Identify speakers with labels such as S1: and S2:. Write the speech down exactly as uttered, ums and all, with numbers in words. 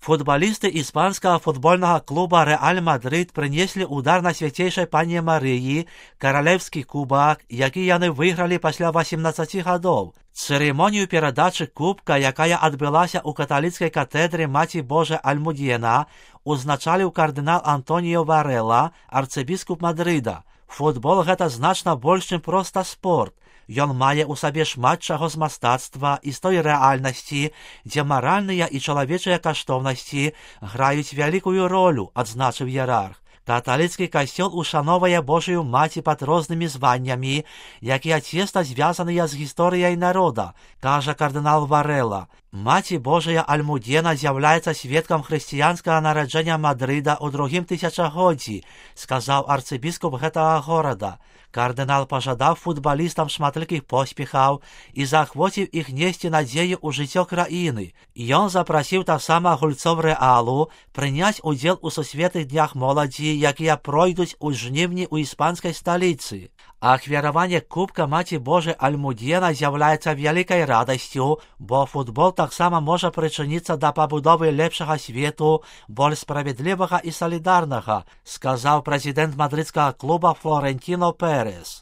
S1: Футболисты испанского футбольного клуба «Реаль Мадрид» принесли удар на Святейшей Панне Марии, королевский кубок, який яны выиграли после восемнадцати годов. Церемонию передачи кубка, якая отбылася у католицкой катедры Маті Божей Альмудена, узначалив кардинал Антоніо Варела, арцыбіскуп Мадрида. Футбол – гэта значна больш, чым проста спорт. Ён мае ў сабе шмат чаго з мастацтва і з той рэальнасці, дзе маральныя і чалавечыя каштоўнасці граюць вялікую ролю, адзначыў іерарх. Каталіцкі касцёл ушановае Божию Маці пад рознымі званнямі, якія цесна звязаныя з гісторыяй народа, кажа кардынал Варела. Маці Божая Альмудена з'яўляецца сведкам хрысціянскага нараджэння Мадрыда ў другім тысячагоддзі, сказаў арцыбіскуп гэтага горада. Кардынал пажадаў футбалістам шматлікіх поспехаў і заахвоціў іх несці надзею ў жыццё краіны. Ён запрасіў таксама гульцоў Рэалу прыняць удзел у сусветных днях моладзі, якія пройдуць у жніўні ў іспанскай сталіцы. Ахвяраванне кубка Маці Божай Альмудена з'яўляецца вялікай радасцю, бо футбол таксама можа прычыніцца да пабудовы лепшага свету, больш справядлівага і салідарнага, сказаў прэзідэнт мадрыдскага клуба Флорентино Пérez.